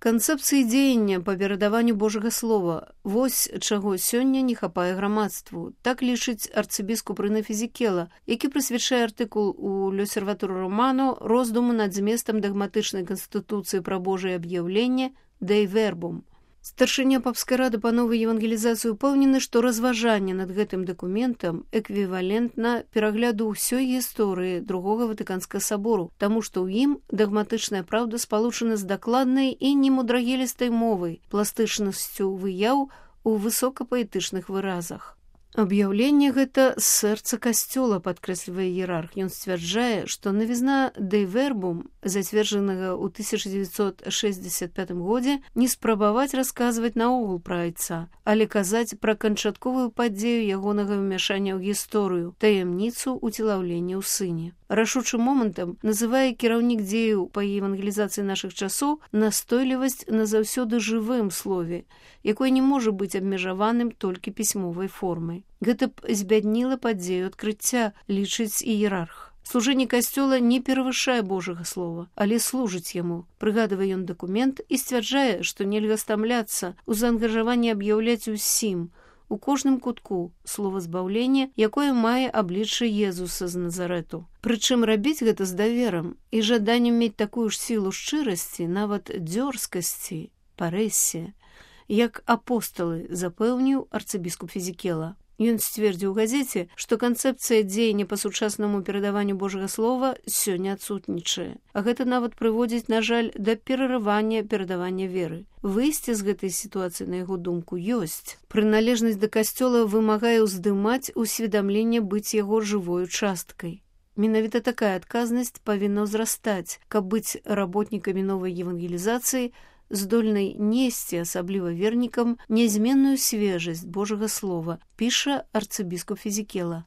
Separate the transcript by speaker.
Speaker 1: Канцэпцыі дзеяння па перадаванню Божага слова. Вось чаго сёння не хапае грамадству. Так лічыць арцыбіскуп Рэнэ Фізікела, які прысвячае артыкул у L'Osservatore Romano роздуму над зместам дагматычнай канстытуцыі пра Божае аб'яўленне «Dei Verbum». Старшыня папскай рады па новай евангелізацыі упэўнены, што разважанне над гэтым дакументам эквівалентна перагляду ўсёй гісторыі Другога Ватыканскага сабору, таму што ў ім дагматычная праўда спалучана з дакладнай і немудрагелістай мовай, пластычнасцю выяў у высокапаэтычных выразах. Аб'яўленне гэта з сэрца касцёла, падкрэслівае іерарх. Ён сцвярджае, што навізна «Dei Verbum», зацверджанага ў 1965 годзе, не спрабаваць расказваць наогул пра айца, але казаць пра канчатковую падзею ягонага ўмяшання ў гісторыю, таямніцу уцелаўлення ў сыне. Рашучым момантам называе кіраўнік дзеяў па евангелізацыі нашых часоў настойлівасць на заўсёды жывым слове, якое не можа быць абмежаваным толькі пісьмовай формай. Гэта б збядніла падзею адкрыцця, лічыць іерарх. Служэнне касцёла не перавышае Божага слова, але служыць яму. Прыгадвае ён дакумент і сцвярджае, што нельга стамляцца ў заангажаванні аб'яўляць усім, у кожным кутку слова збаўлення, якое мае аблічча Езуса з Назарэту. Прычым рабіць гэта з даверам і жаданнем мець такую ж сілу шчырасці, нават дзёрзкасці, парэссе, як апосталы, запэўніў арцыбіскуп Фізікела. Ён сцвердзіў у газеце, што канцэпцыя дзеяння па сучаснаму перадаванню Божага слова сёння адсутнічае. А гэта нават прыводзіць, на жаль, да перарывання перадавання веры. Выйсце з гэтай сітуацыі, на яго думку, ёсць. Прыналежнасць да касцёла вымагае ўздымаць усведамленне быць яго жывою часткай. Менавіта такая адказнасць павінна ўзрастаць, каб быць работнікамі новай евангелізацыі, здольнай несці, асабліва вернікам, нязменную свежасць Божага слова, піша арцыбіскуп Фізікела.